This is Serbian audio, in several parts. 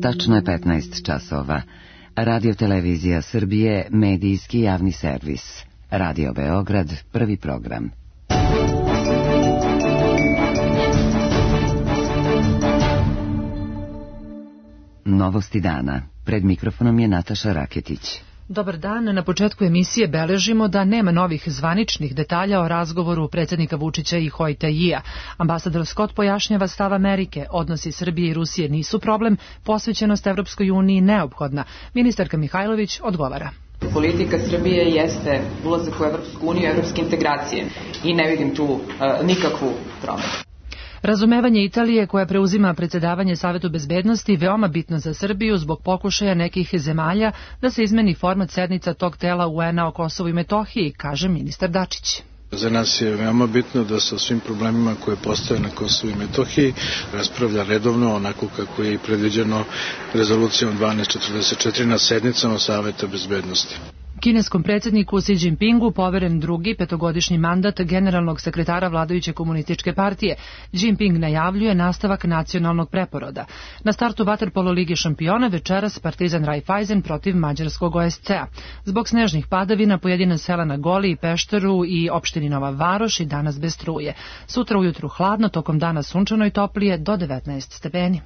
Tačno je 15 časova. Radio Televizija Srbije, medijski javni servis. Radio Beograd, prvi program. Novosti dana. Pred mikrofonom je Nataša Raketić. Dobar dan. Na početku emisije beležimo da nema novih zvaničnih detalja o razgovoru predsjednika Vučića i Hojta Jia. Ambasador Scott pojašnjava stav Amerike. Odnosi Srbije i Rusije nisu problem, posvećenost Evropskoj uniji neophodna. Ministarka Mihajlović odgovara. Politika Srbije jeste ulazak u Evropsku uniju, evropske integracije i ne vidim tu nikakvu promenu. Razumevanje Italije koja preuzima predsjedavanje Savetu bezbednosti veoma bitno za Srbiju zbog pokušaja nekih zemalja da se izmeni format sednica tog tela UN-a o Kosovu i Metohiji, kaže ministar Dačić. Za nas je veoma bitno da se o svim problemima koje postoje na Kosovu i Metohiji raspravlja redovno, onako kako je i predviđeno rezolucijom 1244 na sednicama Saveta bezbednosti. Kineskom predsjedniku Xi Jinpingu poveren drugi petogodišnji mandat generalnog sekretara vladajuće komunističke partije. Jinping najavljuje nastavak nacionalnog preporoda. Na startu vaterpolo Lige šampiona večeras Partizan Raiffeisen protiv mađarskog OSC-a. Zbog snežnih padavina pojedina sela na Goli i Pešteru i opštini Nova Varoš i danas bez struje. Sutra ujutru hladno, tokom dana sunčano i toplije do 19 stepeni.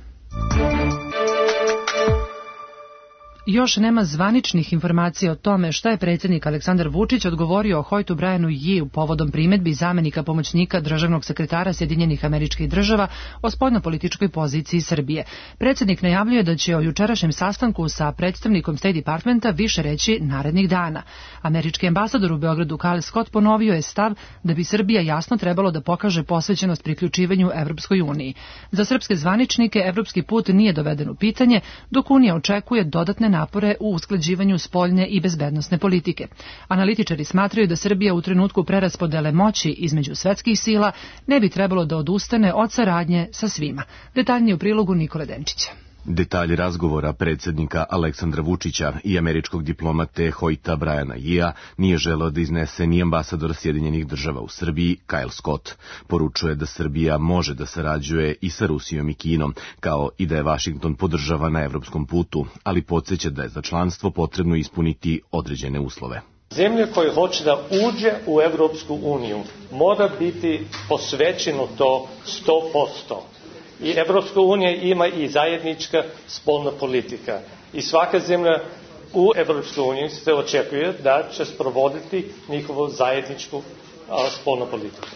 Još nema zvaničnih informacija o tome šta je predsjednik Aleksandar Vučić odgovorio o Hojtu Brianu Jii povodom primedbi zamenika pomoćnika državnog sekretara Sjedinjenih Američkih Država o spoljnopolitičkoj poziciji Srbije. Predsjednik najavljuje da će o jučerašnjem sastanku sa predstavnikom State Departmenta više reći narednih dana. Američki ambasador u Beogradu Kyle Scott ponovio je stav da bi Srbija jasno trebalo da pokaže posvećenost priključivanju Evropskoj uniji. Za srpske zvaničnike evropski put nije doveden u pitanje, dok Unija očekuje dodatne napore u usklađivanju spoljne i bezbednosne politike. Analitičari smatraju da Srbija u trenutku preraspodele moći između svetskih sila ne bi trebalo da odustane od saradnje sa svima. Detaljnije u prilogu Nikole Denčića. Detalji razgovora predsjednika Aleksandra Vučića i američkog diplomate Hojta Briana Jia nije želeo da iznese ni ambasador Sjedinjenih Država u Srbiji Kyle Scott. Poručuje da Srbija može da sarađuje i sa Rusijom i Kinom, kao i da je Vašington podržava na evropskom putu, ali podsjeća da je za članstvo potrebno ispuniti određene uslove. Zemlja koja hoće da uđe u Evropsku uniju mora biti posvećeno to 100%. I Evropska unija ima i zajednička spoljna politika. I svaka zemlja u Evropskoj uniji se očekuje da će sprovoditi njihovu zajedničku spoljnu politiku.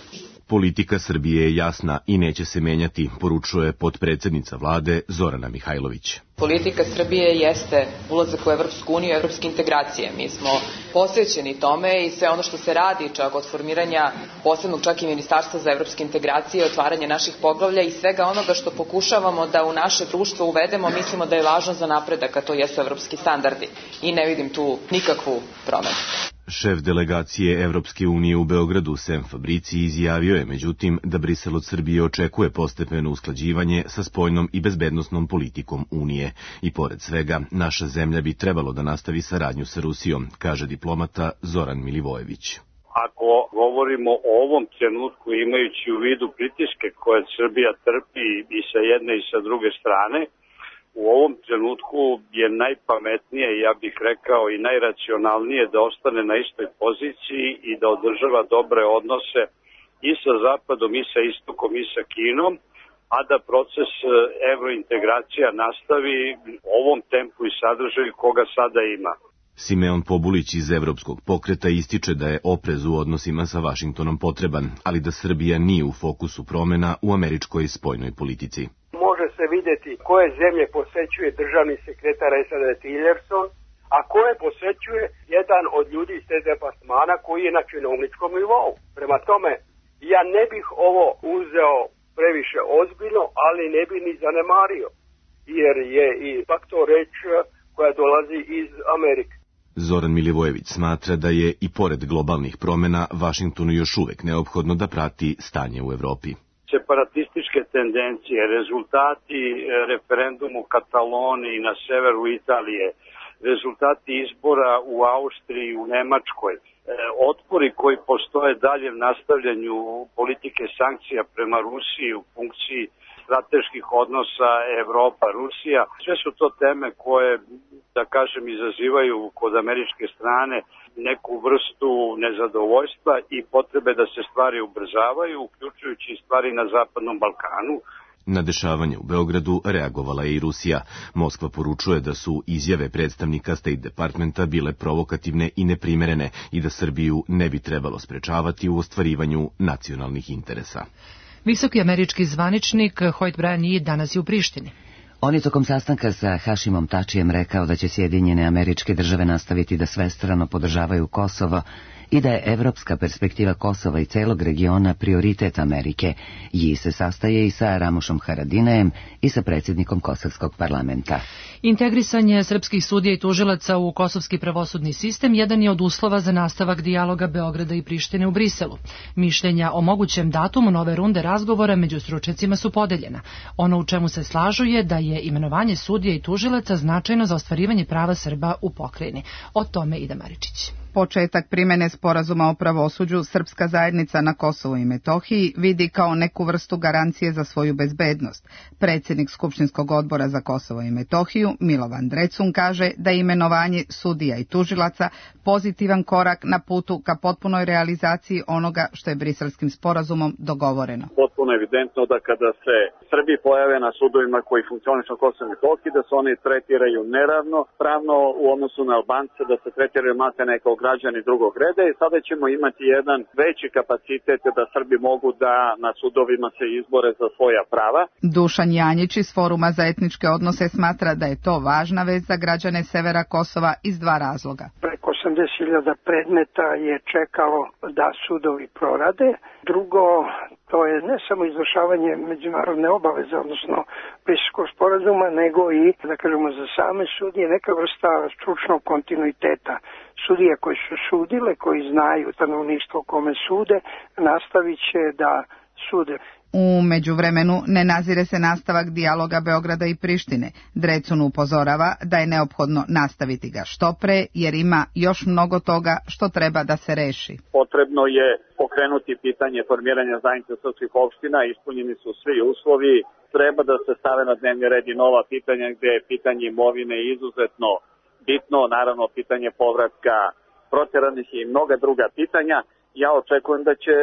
Politika Srbije je jasna i neće se menjati, poručuje potpredsjednica vlade Zorana Mihajlović. Politika Srbije jeste ulazak u Evropsku uniju, evropske integracije. Mi smo posvećeni tome i sve ono što se radi, čak od formiranja posebnog čak i ministarstva za evropske integracije, otvaranje naših poglavlja i svega onoga što pokušavamo da u naše društvo uvedemo, mislimo da je važno za napredak, a to jesu evropski standardi. I ne vidim tu nikakvu promenu. Šef delegacije Evropske unije u Beogradu Sem Fabrici izjavio je međutim da Brisel od Srbije očekuje postepeno usklađivanje sa spoljnom i bezbednosnom politikom Unije. I pored svega, naša zemlja bi trebalo da nastavi saradnju sa Rusijom, kaže diplomata Zoran Milivojević. Ako govorimo o ovom trenutku imajući u vidu pritiske koje Srbija trpi i sa jedne i sa druge strane, u ovom trenutku je najpametnije, ja bih rekao i najracionalnije da ostane na istoj poziciji i da održava dobre odnose i sa Zapadom i sa Istokom i sa Kinom, a da proces evrointegracija nastavi u ovom tempu i sadržaju koga sada ima. Simeon Pobulić iz Evropskog pokreta ističe da je oprez u odnosima sa Vašingtonom potreban, ali da Srbija nije u fokusu promena u američkoj spoljnoj politici. Može se vidjeti koje zemlje posećuje državni sekretar SAD Tillerson, a koje posećuje jedan od ljudi iz te departmana koji je na činovničkom nivou. Prema tome, ja ne bih ovo uzeo previše ozbiljno, ali ne bih ni zanemario, jer je i ipak to reč koja dolazi iz Amerike. Zoran Milivojević smatra da je i pored globalnih promjena Vašingtonu još uvek neophodno da prati stanje u Evropi. Separatističke tendencije, rezultati referendumu u Kataloniji na severu Italije, rezultati izbora u Austriji i u Nemačkoj, otpori koji postoje dalje v nastavljanju politike sankcija prema Rusiji u funkciji strateških odnosa Evropa-Rusija. Sve su to teme koje, da kažem, izazivaju kod američke strane neku vrstu nezadovoljstva i potrebe da se stvari ubrzavaju, uključujući i stvari na Zapadnom Balkanu. Na dešavanje u Beogradu reagovala je i Rusija. Moskva poručuje da su izjave predstavnika State Departmenta bile provokativne i neprimerene i da Srbiju ne bi trebalo sprečavati u ostvarivanju nacionalnih interesa. Visoki američki zvaničnik Hoyt Bryan Yee danas je u Prištini. On je tokom sastanka sa Hašimom Tačijem rekao da će Sjedinjene Američke Države nastaviti da svestrano podržavaju Kosovo i da je evropska perspektiva Kosova i celog regiona prioritet Amerike. Ji se sastaje i sa Ramušom Haradinajem i sa predsjednikom Kosovskog parlamenta. Integrisanje srpskih sudija i tužilaca u kosovski pravosudni sistem jedan je od uslova za nastavak dijaloga Beograda i Prištine u Briselu. Mišljenja o mogućem datumu nove runde razgovora među stručnjacima su podeljena. Ono u čemu se slažu je da je imenovanje sudija i tužilaca značajno za ostvarivanje prava Srba u pokrajini. O tome Ida Maričić. Početak primjene sporazuma o pravosuđu srpska zajednica na Kosovu i Metohiji vidi kao neku vrstu garancije za svoju bezbednost. Predsjednik Skupštinskog odbora za Kosovo i Metohiju, Milovan Drecun, kaže da je imenovanje sudija i tužilaca pozitivan korak na putu ka potpunoj realizaciji onoga što je Briselskim sporazumom dogovoreno. Potpuno evidentno da kada se Srbi pojave na sudovima koji funkcionišu na Kosovu i Metohiji, da se oni tretiraju neravnopravno u odnosu na Albance, da se tretiraju maltene kao građani drugog reda i sada ćemo imati jedan veći kapacitet da Srbi mogu da na sudovima se izbore za svoja prava. Dušan Janjić iz Foruma za etničke odnose smatra da je to važna vest za građane severa Kosova iz dva razloga. Preko 80.000 predmeta je čekalo da sudovi prorade. Drugo, to je ne samo izvršavanje međunarodne obaveze, odnosno Briselskog sporazuma, nego i, da kažemo, za same sudije neka vrsta stručnog kontinuiteta. Sudije koji su sudile, koji znaju stanovništvo kome sude, nastavit će da sude. U međuvremenu ne nazire se nastavak dijaloga Beograda i Prištine. Drecun upozorava da je neophodno nastaviti ga što pre, jer ima još mnogo toga što treba da se reši. Potrebno je pokrenuti pitanje formiranja zajednice srpskih opština, ispunjeni su svi uslovi, treba da se stave na dnevni red i nova pitanja gdje je pitanje imovine izuzetno bitno, naravno pitanje povratka proteranih i mnoga druga pitanja. Ja očekujem da će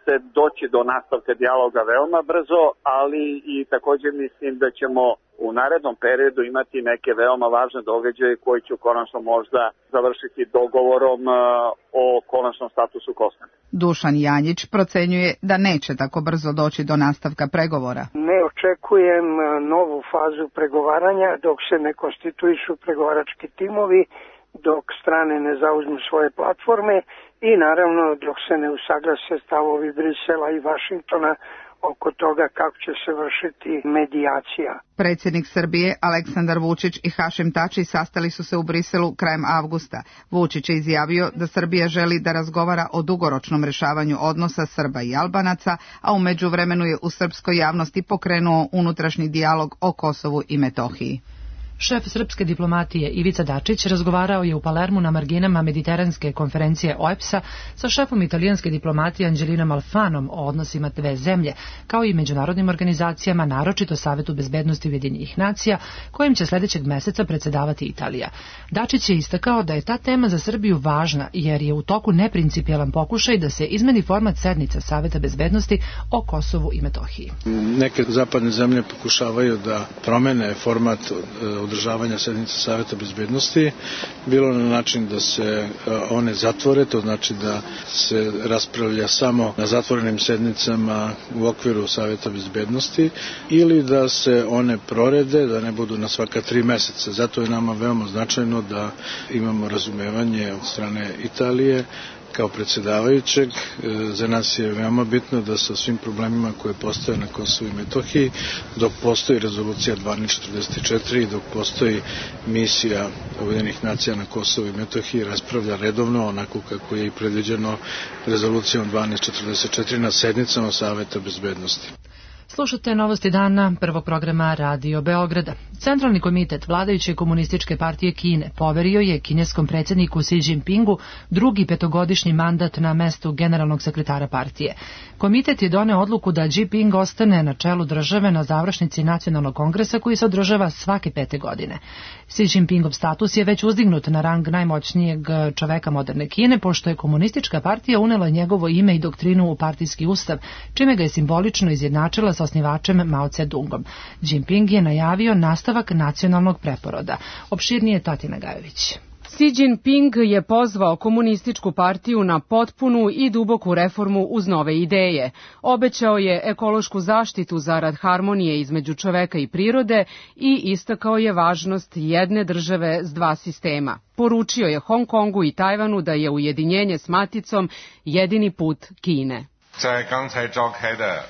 se doći do nastavka dijaloga veoma brzo, ali i također mislim da ćemo u narednom periodu imati neke veoma važne događaje koji će konačno možda završiti dogovorom o konačnom statusu Kosova. Dušan Janjić procenjuje da neće tako brzo doći do nastavka pregovora. Ne očekujem novu fazu pregovaranja dok se ne konstituišu pregovarački timovi, dok strane ne zauzmu svoje platforme i naravno dok se ne usaglase stavovi Brisela i Vašingtona oko toga kako će se vršiti medijacija. Predsjednik Srbije Aleksandar Vučić i Hašim Tači sastali su se u Briselu krajem avgusta. Vučić je izjavio da Srbija želi da razgovara o dugoročnom rešavanju odnosa Srba i Albanaca, a u međuvremenu je u srpskoj javnosti pokrenuo unutrašnji dijalog o Kosovu i Metohiji. Šef srpske diplomatije Ivica Dačić razgovarao je u Palermu na marginama mediteranske konferencije OEBS-a sa šefom italijanske diplomatije Angelinom Alfanom o odnosima dve zemlje, kao i međunarodnim organizacijama, naročito Savetu bezbednosti Ujedinjenih nacija, kojim će sljedećeg meseca predsjedavati Italija. Dačić je istakao da je ta tema za Srbiju važna, jer je u toku neprincipijelan pokušaj da se izmeni format sednica Saveta bezbednosti o Kosovu i Metohiji. Neke zapadne zemlje pokušavaju da promene format održavanja sednica Saveta bezbednosti, bilo na način da se one zatvore, to znači da se raspravlja samo na zatvorenim sednicama u okviru Saveta bezbednosti, ili da se one prorede, da ne budu na svaka 3 meseca. Zato je nama veoma značajno da imamo razumevanje od strane Italije kao predsjedavajućeg. Za nas je veoma bitno da sa svim problemima koje postoje na Kosovu i Metohiji, dok postoji rezolucija 1244 i dok postoji misija Ujedinjenih nacija na Kosovu i Metohiji, raspravlja redovno, onako kako je i predviđeno rezolucijom 1244 na sednicama Saveta bezbednosti. Slušate novosti dana prvog programa Radio Beograda. Centralni komitet vladajuće komunističke partije Kine poverio je kineskom predsjedniku Xi Jinpingu drugi petogodišnji mandat na mestu generalnog sekretara partije. Komitet je doneo odluku da Jinping ostane na čelu države na završnici nacionalnog kongresa koji se održava svake 5 godine. Xi Jinpingov status je već uzdignut na rang najmoćnijeg čoveka moderne Kine, pošto je komunistička partija unela njegovo ime i doktrinu u partijski ustav, čime ga je simbolično izjednačila sa osnivačem Mao Tse-dungom. Jinping je najavio nastavak nacionalnog preporoda. Opširnije Tatjana Gajović. Xi Jinping je pozvao komunističku partiju na potpunu i duboku reformu uz nove ideje. Obećao je ekološku zaštitu zarad harmonije između čoveka i prirode i istakao je važnost jedne države s dva sistema. Poručio je Hong Kongu i Tajvanu da je ujedinjenje s maticom jedini put Kine.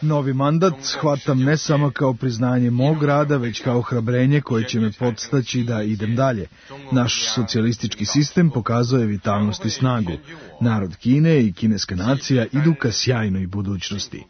Novi mandat shvatam ne samo kao priznanje mog rada, već kao hrabrenje koje će me podstaći da idem dalje. Naš socijalistički sistem pokazuje vitalnost i snagu. Narod Kine i kineska nacija idu ka sjajnoj budućnosti.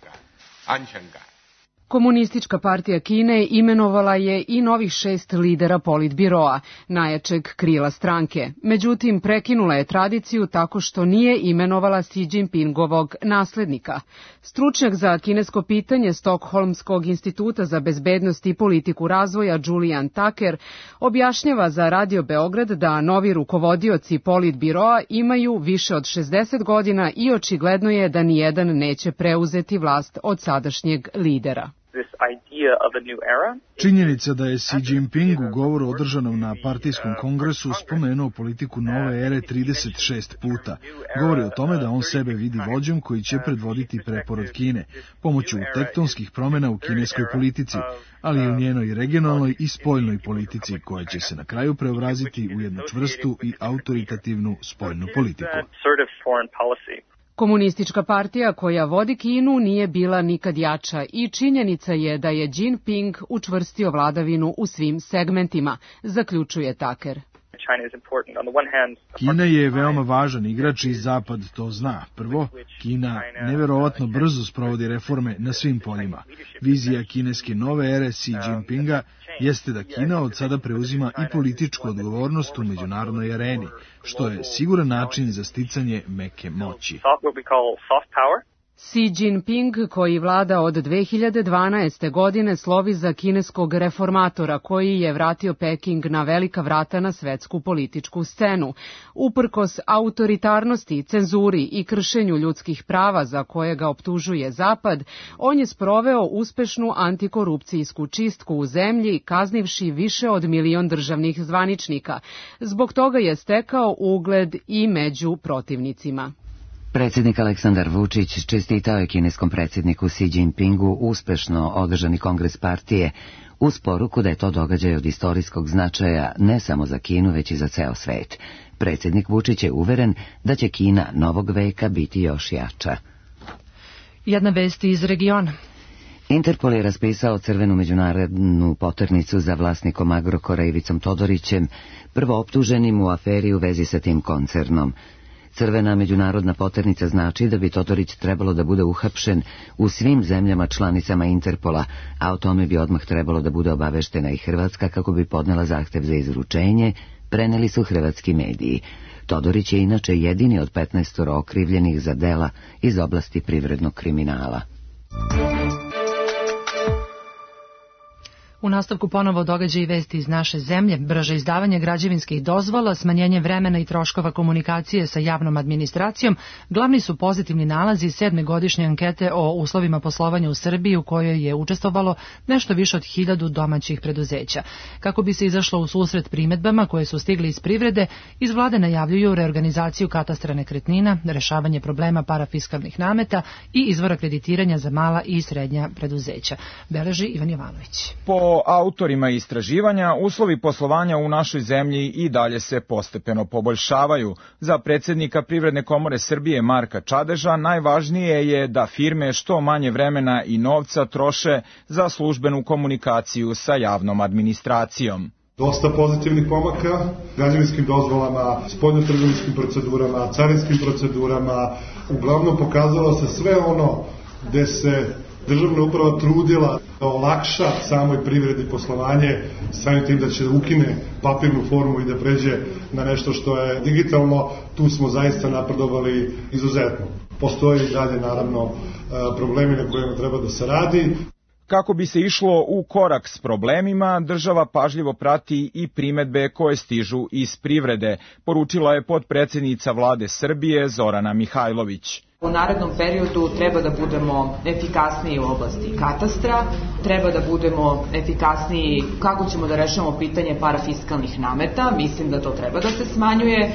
Komunistička partija Kine imenovala je i novih 6 lidera politbiroa, najjačeg krila stranke. Međutim, prekinula je tradiciju tako što nije imenovala Xi Jinpingovog naslednika. Stručnjak za kinesko pitanje Stokholmskog instituta za bezbednost i politiku razvoja Julian Tucker objašnjava za Radio Beograd da novi rukovodioci politbiroa imaju više od 60 godina i očigledno je da nijedan neće preuzeti vlast od sadašnjeg lidera. Činjenica da je Xi Jinping u govoru održanom na partijskom kongresu spomenuo politiku nove ere 36 puta. Govori o tome da on sebe vidi vođom koji će predvoditi preporod Kine, pomoću tektonskih promjena u kineskoj politici, ali i u njenoj regionalnoj i spoljnoj politici, koja će se na kraju preobraziti u jednu čvrstu i autoritativnu spoljnu politiku. Komunistička partija koja vodi Kinu nije bila nikad jača i činjenica je da je Jinping učvrstio vladavinu u svim segmentima, zaključuje Tucker. Kina je veoma važan igrač i Zapad to zna. Prvo, Kina neverovatno brzo sprovodi reforme na svim poljima. Vizija kineske nove ere Xi Jinpinga jeste da Kina od sada preuzima i političku odgovornost u međunarodnoj areni, što je siguran način za sticanje meke moći. Xi Jinping, koji vlada od 2012. godine, slovi za kineskog reformatora koji je vratio Peking na velika vrata na svetsku političku scenu. Uprkos autoritarnosti, cenzuri i kršenju ljudskih prava za koje ga optužuje Zapad, on je sproveo uspešnu antikorupcijsku čistku u zemlji, kaznivši više od 1 milion državnih zvaničnika. Zbog toga je stekao ugled i među protivnicima. Predsjednik Aleksandar Vučić čestitao je kineskom predsjedniku Xi Jinpingu uspešno održani kongres partije uz poruku da je to događaj od istorijskog značaja ne samo za Kinu, već i za ceo svet. Predsjednik Vučić je uveren da će Kina novog veka biti još jača. Jedna vest iz regiona. Interpol je raspisao crvenu međunarodnu poternicu za vlasnikom Agrokora Ivicom Todorićem, prvo optuženim u aferi u vezi sa tim koncernom. Crvena međunarodna poternica znači da bi Todorić trebalo da bude uhapšen u svim zemljama članicama Interpola, a o tome bi odmah trebalo da bude obaveštena i Hrvatska kako bi podnela zahtev za izručenje, preneli su hrvatski mediji. Todorić je inače jedini od 15 okrivljenih za dela iz oblasti privrednog kriminala. U nastavku ponovo događaji i vesti iz naše zemlje, brže izdavanje građevinskih dozvola, smanjenje vremena i troškova komunikacije sa javnom administracijom, glavni su pozitivni nalazi 7. godišnje ankete o uslovima poslovanja u Srbiji u kojoj je učestvovalo nešto više od 1000 domaćih preduzeća. Kako bi se izašlo u susret primedbama koje su stigli iz privrede, iz vlade najavljuju reorganizaciju katastra nekretnina, rešavanje problema parafiskalnih nameta i izvora kreditiranja za mala i srednja preduzeća. Beleži Ivan Jovanović. Po autorima istraživanja, uslovi poslovanja u našoj zemlji i dalje se postepeno poboljšavaju. Za predsjednika Privredne komore Srbije Marka Čadeža najvažnije je da firme što manje vremena i novca troše za službenu komunikaciju sa javnom administracijom. Dosta pozitivnih pomaka, građevinskim dozvolama, spoljnotrgovinskim procedurama, carinskim procedurama, uglavnom pokazalo se sve ono gde se državna uprava trudila da olakša samoj privredi poslovanje, samim tim da će ukine papirnu formu i da pređe na nešto što je digitalno, tu smo zaista napredovali izuzetno. Postoje i dalje, naravno, problemi na kojima treba da se radi. Kako bi se išlo u korak s problemima, država pažljivo prati i primedbe koje stižu iz privrede, poručila je potpredsednica Vlade Srbije Zorana Mihajlović. U narednom periodu treba da budemo efikasniji u oblasti katastra, treba da budemo efikasniji kako ćemo da rešavamo pitanje parafiskalnih nameta, mislim da to treba da se smanjuje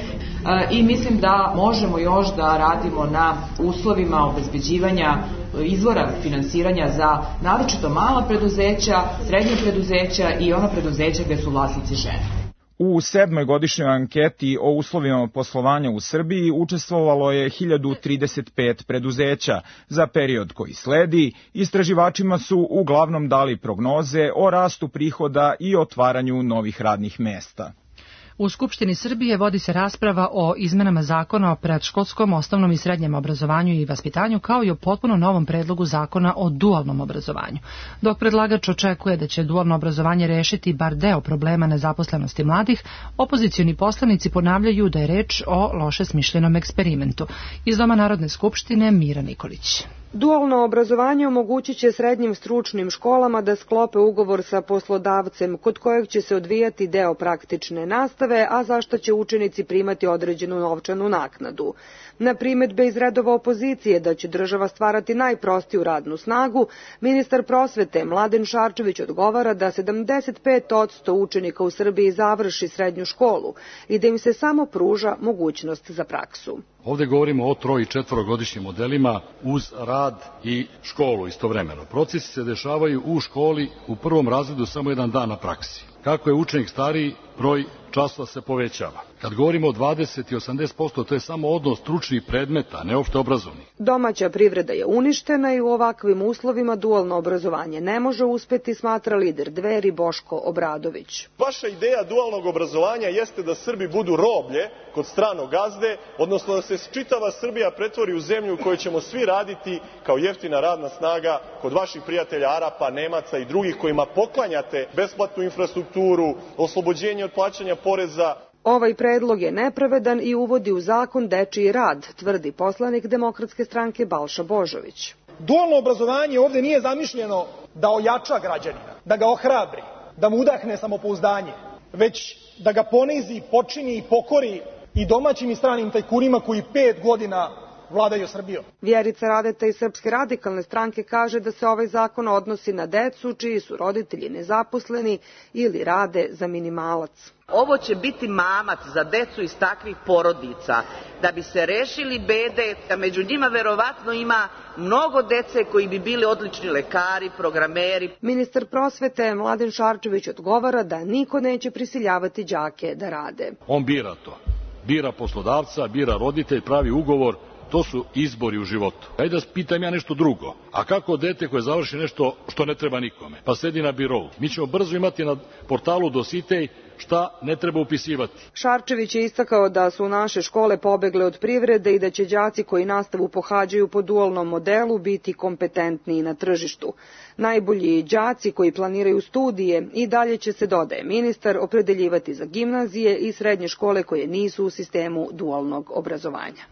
i mislim da možemo još da radimo na uslovima obezbeđivanja izvora finansiranja za naročito mala preduzeća, srednje preduzeća i ona preduzeća gde su vlasnici žene. U 7. godišnjoj anketi o uslovima poslovanja u Srbiji učestvovalo je 1035 preduzeća. Za period koji sledi, istraživačima su uglavnom dali prognoze o rastu prihoda i otvaranju novih radnih mesta. U Skupštini Srbije vodi se rasprava o izmenama zakona o predškolskom, osnovnom i srednjem obrazovanju i vaspitanju, kao i o potpuno novom predlogu zakona o dualnom obrazovanju. Dok predlagač očekuje da će dualno obrazovanje rešiti bar deo problema nezaposlenosti mladih, opozicioni poslanici ponavljaju da je reč o loše smišljenom eksperimentu. Iz Doma Narodne skupštine Mira Nikolić. Dualno obrazovanje omogućit će srednjim stručnim školama da sklope ugovor sa poslodavcem kod kojeg će se odvijati deo praktične nastave, a za što će učenici primati određenu novčanu naknadu. Na primedbe iz redova opozicije da će država stvarati najprostiju radnu snagu, ministar prosvete Mladen Šarčević odgovara da 75% učenika u Srbiji završi srednju školu i da im se samo pruža mogućnost za praksu. Ovde govorimo o 3- i 4-godišnjim modelima uz rad i školu istovremeno. Procesi se dešavaju u školi u prvom razredu samo jedan dan na praksi. Kako je učenik stariji, broj časova se povećava. Kad govorimo o 20 i 80%, to je samo odnos stručnih predmeta, ne opšte obrazovnih. Domaća privreda je uništena i u ovakvim uslovima dualno obrazovanje ne može uspeti, smatra lider Dveri Boško Obradović. Vaša ideja dualnog obrazovanja jeste da Srbi budu roblje kod stranog gazde, odnosno da se čitava Srbija pretvori u zemlju u kojoj ćemo svi raditi kao jeftina radna snaga kod vaših prijatelja Arapa, Nemaca i drugih kojima poklanjate besplatnu infrastrukturu, oslobođenje od plaćanja poreza. Ovaj predlog je nepravedan i uvodi u zakon dečiji rad, tvrdi poslanik Demokratske stranke Balša Božović. Dualno obrazovanje ovde nije zamišljeno da ojača građanina, da ga ohrabri, da mu udahne samopouzdanje, već da ga ponizi, počini i pokori i domaćim i stranim tajkunima koji 5 godina vladaju Srbijom. Vjerica Radeta iz Srpske radikalne stranke kaže da se ovaj zakon odnosi na decu čiji su roditelji nezaposleni ili rade za minimalac. Ovo će biti mamac za decu iz takvih porodica, da bi se rešili bede, a među njima verovatno ima mnogo dece koji bi bili odlični lekari, programeri. Ministar prosvete Mladen Šarčević odgovara da niko neće prisiljavati đake da rade. On bira to. Bira poslodavca, bira roditelj, pravi ugovor. To su izbori u životu. Ajde da pitam ja nešto drugo. A kako dete koje završi nešto što ne treba nikome, pa sedi na birou? Mi ćemo brzo imati na portalu Dositej šta ne treba upisivati. Šarčević je istakao da su naše škole pobegle od privrede i da će đaci koji nastavu pohađaju po dualnom modelu biti kompetentniji na tržištu. Najbolji đaci koji planiraju studije i dalje će se, dodaje ministar, opredeljivati za gimnazije i srednje škole koje nisu u sistemu dualnog obrazovanja.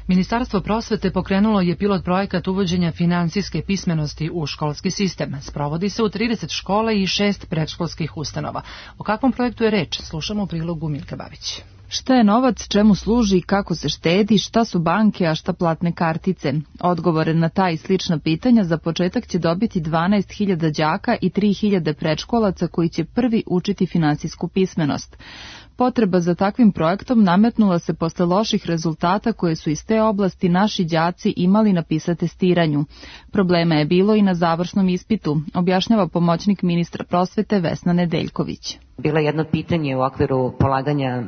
Ministarstvo prosvete pokrenulo je pilot projekat uvođenja finansijske pismenosti u školski sistem. Sprovodi se u 30 škola i 6 predškolskih ustanova. O kakvom projektu je reč? Slušamo u prilogu Milka Babić. Šta je novac, čemu služi, kako se štedi, šta su banke, a šta platne kartice? Odgovore na ta i slična pitanja za početak će dobiti 12.000 đaka i 3.000 predškolaca koji će prvi učiti finansijsku pismenost. Potreba za takvim projektom nametnula se posle loših rezultata koje su iz te oblasti naši đaci imali na PISA testiranju. Problema je bilo i na završnom ispitu, objašnjava pomoćnik ministra prosvete Vesna Nedeljković. Bilo je jedno pitanje u okviru polaganja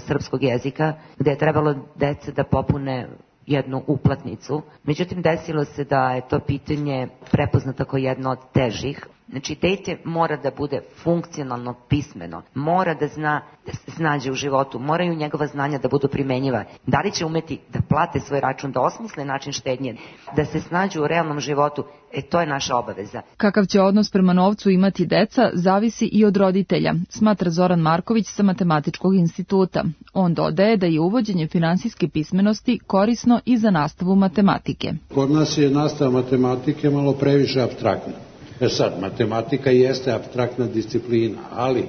srpskog jezika gde je trebalo dece da popune jednu uplatnicu. Međutim, desilo se da je to pitanje prepoznato kao jedno od težih Znači, dete mora da bude funkcionalno pismeno, mora da zna da se snađe u životu, moraju njegova znanja da budu primenjiva. Da li će umeti da plate svoj račun, da osmisle način štednje, da se snađu u realnom životu, to je naša obaveza. Kakav će odnos prema novcu imati deca, zavisi i od roditelja, smatra Zoran Marković sa Matematičkog instituta. On dodaje da je uvođenje finansijske pismenosti korisno i za nastavu matematike. Kod nas je nastava matematike malo previše apstraktna. Sad, matematika jeste apstraktna disciplina, ali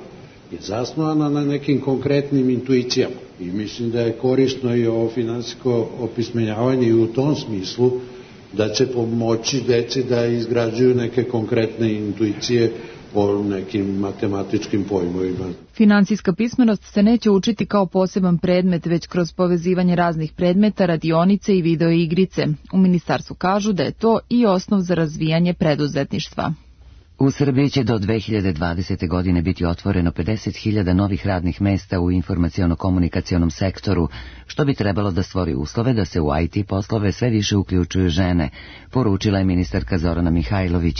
je zasnovana na nekim konkretnim intuicijama. I mislim da je korisno i ovo finansijsko opismenjavanje i u tom smislu da će pomoći deci da izgrađuju neke konkretne intuicije o nekim matematičkim pojmovima. Finansijska pismenost se neće učiti kao poseban predmet, već kroz povezivanje raznih predmeta, radionice i videoigrice. U ministarstvu kažu da je to i osnov za razvijanje preduzetništva. U Srbiji će do 2020. godine biti otvoreno 50.000 novih radnih mesta u informaciono-komunikacionom sektoru, što bi trebalo da stvori uslove da se u IT poslove sve više uključuju žene, poručila je ministarka Zorana Mihajlović.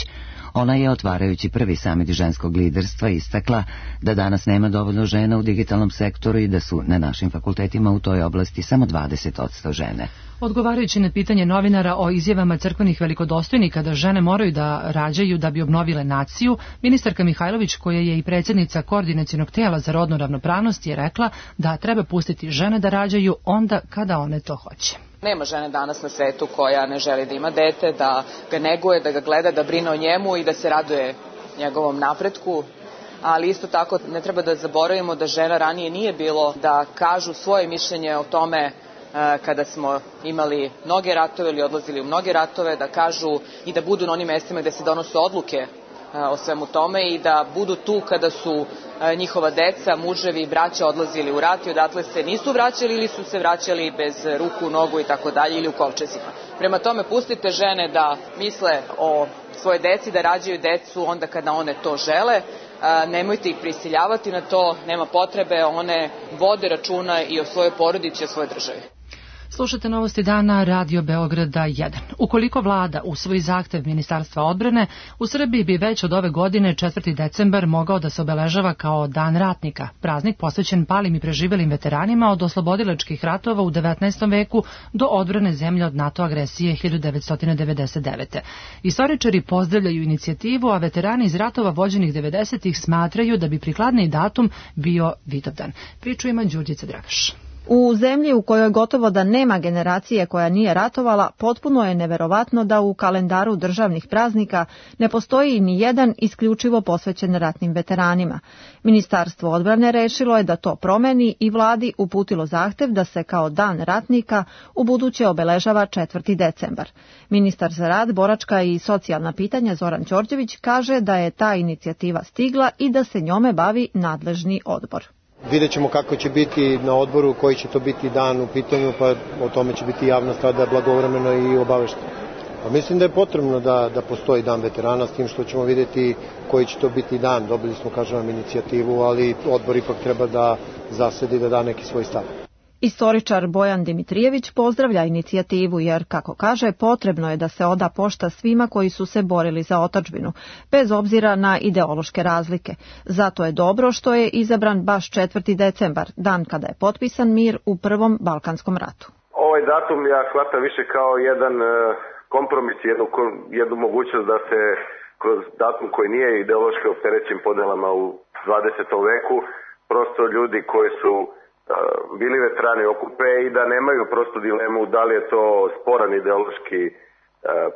Ona je, otvarajući prvi samit ženskog liderstva, istakla da danas nema dovoljno žena u digitalnom sektoru i da su na našim fakultetima u toj oblasti samo 20% žene. Odgovarajući na pitanje novinara o izjavama crkvenih velikodostojnika da žene moraju da rađaju da bi obnovile naciju, ministarka Mihajlović, koja je i predsjednica Koordinacionog tela za rodnu ravnopravnost, je rekla da treba pustiti žene da rađaju onda kada one to hoće. Nema žene danas na svetu koja ne želi da ima dete, da ga neguje, da ga gleda, da brine o njemu i da se raduje njegovom napretku. Ali isto tako ne treba da zaboravimo da žena ranije nije bilo da kažu svoje mišljenje o tome kada smo imali mnoge ratove ili odlazili u mnoge ratove, da kažu i da budu na onim mestima gde se donose odluke o svemu tome i da budu tu kada su njihova deca, muževi i braća odlazili u rat i odatle se nisu vraćali ili su se vraćali bez ruku, nogu i tako dalje ili u kovčezima. Prema tome, pustite žene da misle o svoje deci, da rađaju decu onda kada one to žele. Nemojte ih prisiljavati na to, nema potrebe, one vode računa i o svojoj porodici i o svojoj državi. Slušate Novosti dana Radio Beograda 1. Ukoliko vlada usvoji zahtev Ministarstva odbrane, u Srbiji bi već od ove godine 4. decembar mogao da se obeležava kao Dan ratnika, praznik posvećen palim i preživelim veteranima od oslobodilačkih ratova u 19. veku do odbrane zemlje od NATO agresije 1999. Istoričari pozdravljaju inicijativu, a veterani iz ratova vođenih 90-ih smatraju da bi prikladniji datum bio Vidovdan. Priču ima Đurđica Dragaš. U zemlji u kojoj gotovo da nema generacije koja nije ratovala, potpuno je neverovatno da u kalendaru državnih praznika ne postoji ni jedan isključivo posvećen ratnim veteranima. Ministarstvo odbrane rešilo je da to promeni i vladi uputilo zahtev da se kao Dan ratnika ubuduće obeležava 4. decembar. Ministar za rad, boračka i socijalna pitanja Zoran Đorđević kaže da je ta inicijativa stigla i da se njome bavi nadležni odbor. Vidjet ćemo kako će biti na odboru, koji će to biti dan u pitanju, pa o tome će biti javnost tada blagovremeno i obaveštena. Pa mislim da je potrebno da postoji Dan veterana, s tim što ćemo vidjeti koji će to biti dan. Dobili smo, kažem, inicijativu, ali odbor ipak treba da zasedi, da da neki svoj stav. Istoričar Bojan Dimitrijević pozdravlja inicijativu jer, kako kaže, potrebno je da se oda pošta svima koji su se borili za otadžbinu, bez obzira na ideološke razlike. Zato je dobro što je izabran baš 4. decembar, dan kada je potpisan mir u Prvom Balkanskom ratu. Ovaj datum ja shvatam više kao jedan kompromis, jednu mogućnost da se kroz datum koji nije ideološki opterećen podelama u 20. veku, prosto ljudi koji su bili veterani okupe i da nemaju prosto dilemu da li je to sporan ideološki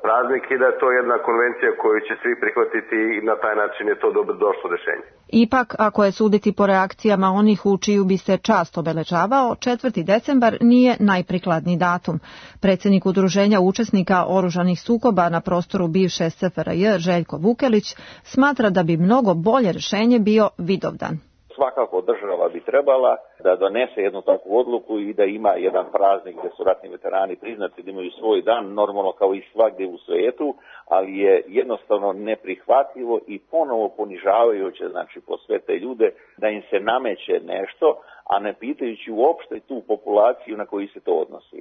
praznik i da je to jedna konvencija koju će svi prihvatiti i na taj način je to dobro došlo rešenje. Ipak, ako je suditi po reakcijama onih u čiju bi se čast obeležavao, 4. decembar nije najprikladniji datum. Predsjednik Udruženja učesnika oružanih sukoba na prostoru bivše SFRJ Željko Vukelić smatra da bi mnogo bolje rešenje bio Vidovdan. Svakako država bi trebala da donese jednu takvu odluku i da ima jedan praznik gdje su ratni veterani priznati da imaju svoj dan, normalno kao i svagdje u svijetu, ali je jednostavno neprihvatljivo i ponovo ponižavajuće, znači po sve te ljude, da im se nameće nešto, a ne pitajući uopšte tu populaciju na koju se to odnosi.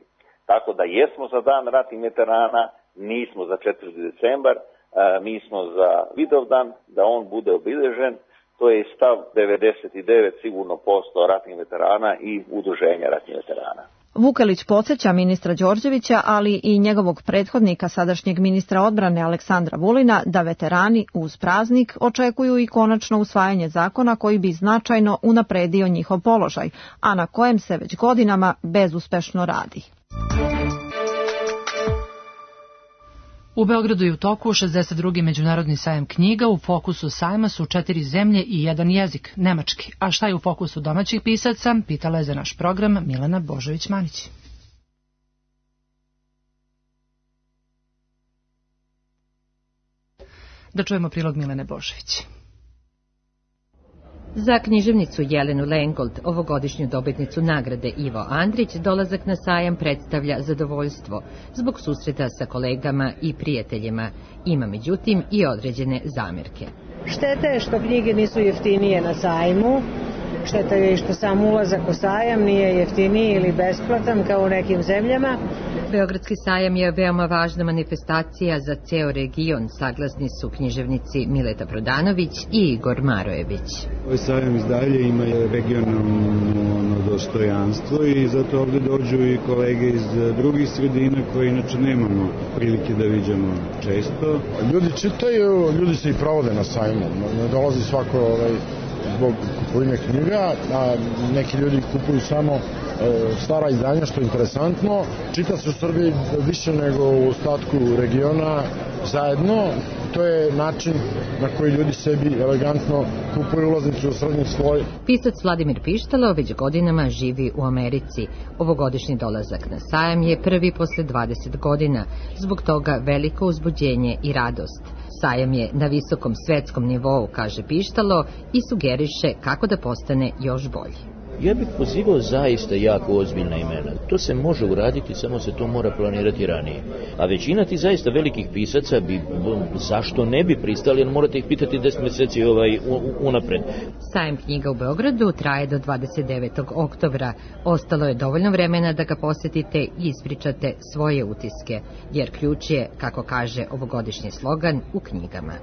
Tako da jesmo za Dan ratnih veterana, nismo za 4. decembar, mi smo za Vidovdan, da on bude obilježen. To je stav 99 sigurno posto ratnih veterana i udruženja ratnih veterana. Vukelić podsjeća ministra Đorđevića, ali i njegovog prethodnika, sadašnjeg ministra odbrane Aleksandra Vulina, da veterani uz praznik očekuju i konačno usvajanje zakona koji bi značajno unapredio njihov položaj, a na kojem se već godinama bezuspešno radi. U Beogradu je u toku 62. međunarodni sajam knjiga. U fokusu sajma su 4 zemlje i 1 jezik, nemački. A šta je u fokusu domaćih pisaca, pitala je za naš program Milena Božović-Manić. Da čujemo prilog Milene Božović. Za književnicu Jelenu Lengold, ovogodišnju dobitnicu nagrade Ivo Andrić, dolazak na sajam predstavlja zadovoljstvo zbog susreta sa kolegama i prijateljima. Ima međutim i određene zamerke. Šteta je što knjige nisu jeftinije na sajmu. Šteta je i što sam ulazak u sajam nije jeftiniji ili besplatan kao u nekim zemljama. Beogradski sajam je veoma važna manifestacija za ceo region, saglasni su književnici Mileta Prodanović i Igor Marojević. Ovaj sajam iz dalje ima regionalno dostojanstvo i zato ovde dođu i kolege iz drugih sredina koje inače nemamo prilike da viđamo često. Ljudi čitaju, ljudi se i provode na sajmu, ne dolazi svako zbog kupovine knjiga, a neki ljudi kupuju samo stara izdanja, što je interesantno. Čita se u Srbiji više nego u ostatku regiona zajedno. To je način na koji ljudi sebi elegantno kupuju ulaznicu u srednji sloj. Pisac Vladimir Pištalo već godinama živi u Americi. Ovogodišnji dolazak na sajam je prvi posle 20 godina. Zbog toga veliko uzbuđenje i radost. Sajam je na visokom svetskom nivou, kaže Pištalo, i sugeriše kako da postane još bolji. Ja bih pozivao zaista jako ozbiljna imena. To se može uraditi, samo se to mora planirati ranije. A većina ti zaista velikih pisaca bi, zašto ne bi pristali, jer morate ih pitati 10 meseci unapred. Sajam knjiga u Beogradu traje do 29. oktobra. Ostalo je dovoljno vremena da ga posetite i ispričate svoje utiske, jer ključ je, kako kaže ovogodišnji slogan, u knjigama.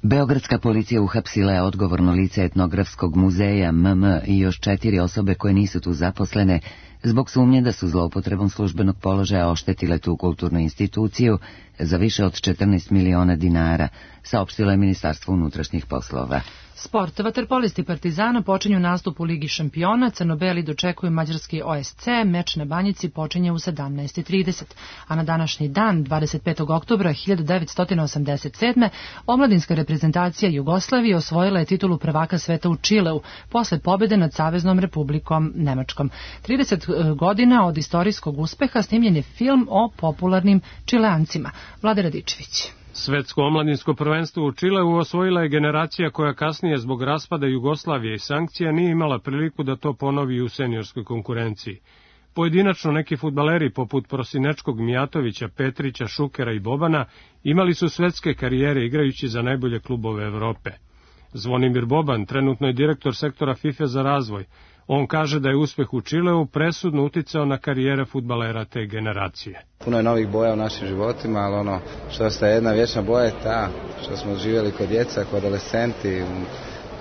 Beogradska policija uhapsila je odgovorno lice etnografskog muzeja MM i još 4 osobe koje nisu tu zaposlene zbog sumnje da su zloupotrebom službenog položaja oštetile tu kulturnu instituciju za više od 14 miliona dinara, saopštilo je Ministarstvo unutrašnjih poslova. Sport. Vaterpolisti Partizana počinju nastup u Ligi šampiona, crno-beli dočekuju mađarski OSC, meč na Banjici počinje u 17:30, a na današnji dan, 25. oktobra 1987. omladinska reprezentacija Jugoslavije osvojila je titulu prvaka sveta u Čileu, posle pobjede nad Saveznom Republikom Nemačkom. 30 godina od istorijskog uspeha snimljen je film o popularnim Čileancima. Vlade Radičević. Svetsko omladinsko prvenstvo u Čileu osvojila je generacija koja kasnije zbog raspada Jugoslavije i sankcija nije imala priliku da to ponovi u seniorskoj konkurenciji. Pojedinačno neki fudbaleri poput Prosinečkog, Mijatovića, Petrića, Šukera i Bobana imali su svetske karijere igrajući za najbolje klubove Evrope. Zvonimir Boban trenutno je direktor sektora FIFA za razvoj. On kaže da je uspeh u Čileu presudno uticao na karijere fudbalera te generacije. Puno je novih boja u našim životima, ali ono što ostaje jedna vječna boja je ta što smo živjeli kod djeca, kod adolescenti, u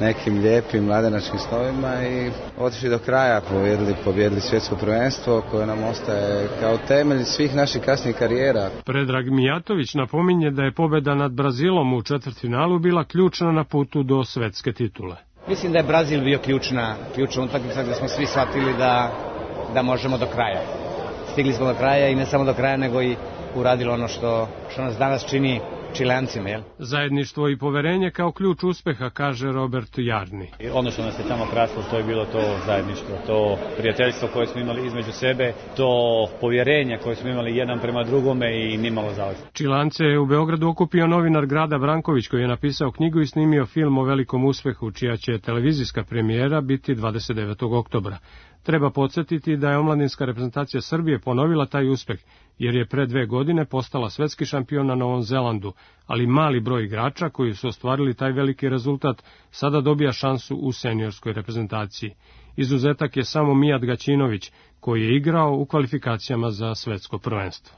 nekim lijepim mladenačkim snovima i otišli do kraja, pobjedili svjetsko prvenstvo koje nam ostaje kao temelj svih naših kasnijih karijera. Predrag Mijatović napominje da je pobjeda nad Brazilom u četvrtfinalu bila ključna na putu do svetske titule. Mislim da je Brazil bio ključna utakmica gdje smo svi shvatili da možemo do kraja. Stigli smo do kraja i ne samo do kraja, nego i uradili ono što nas danas čini Čileancima, jel? Zajedništvo i poverenje kao ključ uspeha, kaže Robert Jarni. Ono što nas je tamo krasilo, to je bilo to zajedništvo, to prijateljstvo koje smo imali između sebe, to povjerenje koje smo imali jedan prema drugome i nimalo zavisno. Čileance je u Beogradu okupio novinar Grada Branković koji je napisao knjigu i snimio film o velikom uspehu, čija će televizijska premijera biti 29. oktobra. Treba podsjetiti da je omladinska reprezentacija Srbije ponovila taj uspeh, jer je pre 2 godine postala svetski šampion na Novom Zelandu, ali mali broj igrača koji su ostvarili taj veliki rezultat sada dobija šansu u seniorskoj reprezentaciji. Izuzetak je samo Mijat Gaćinović, koji je igrao u kvalifikacijama za svetsko prvenstvo.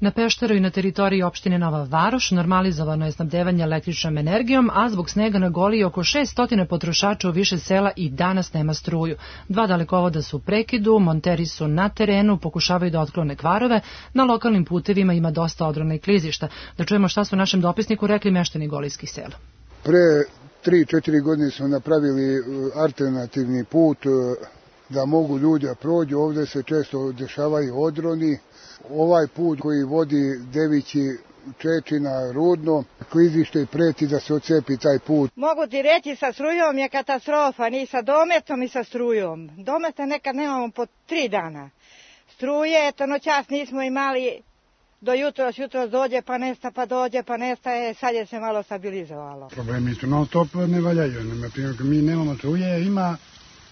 Na Pešteru i na teritoriji opštine Nova Varoš normalizovano je snabdevanje električnom energijom, a zbog snega na Goliji oko 600 potrošača u više sela i danas nema struju. 2 dalekovoda su u prekidu, monteri su na terenu, pokušavaju da otklone kvarove, na lokalnim putevima ima dosta odrona i klizišta. Da čujemo šta su našem dopisniku rekli meštani golijskih sela. Pre 3-4 godine smo napravili alternativni put da mogu ljudi da prođu. Ovde se često dešavaju odroni. Ovaj put koji vodi Devići, Čečina, Rudno, klizište preti da se ocepi taj put. Mogu ti reći, sa strujom je katastrofa, ni sa dometom ni sa strujom. Dometa nekad nemamo po 3 dana. Struje, eto noćas nismo imali, do jutros dođe pa nesta, pa dođe pa nesta, sad je se malo stabilizovalo. Problemi su non stop, ne valjaju. Mi nemamo struje, ima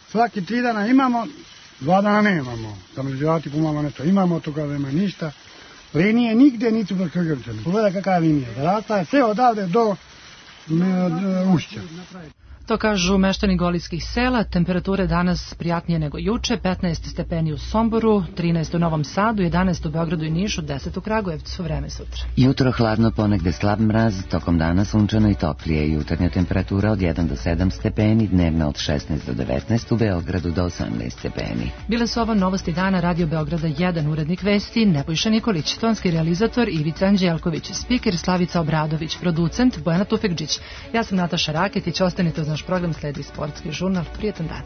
svaki 3 dana imamo, 2 dana nemamo. Stabilizovati pomalo nešto imamo, toga nema ništa. Linije nigde nisu prekrčene. Pogledaj kakva je linija. Rasta je sve odavde do Ušća. To kažu meštani golijskih sela. Temperature danas prijatnije nego juče, 15 stepeni u Somboru, 13 u Novom Sadu, 11 u Beogradu i Nišu, 10 u Kragujevcu. Vreme sutra. Jutro hladno, ponegde slab mraz, tokom dana sunčano i toplije. Jutarnja temperatura od 1 do 7 stepeni, dnevna od 16 do 19, u Beogradu do 18 stepeni. Bile su ovo novosti dana Radio Beograda 1, urednik vesti Nebojša Nikolić, tonski realizator Ivica Anđelković, spiker Slavica Obradović, producent Bojana Tufekđić. Ja sam Nataša Raketić, ostanite uz naš program, sledi sportski žurnal. Prijetan dan.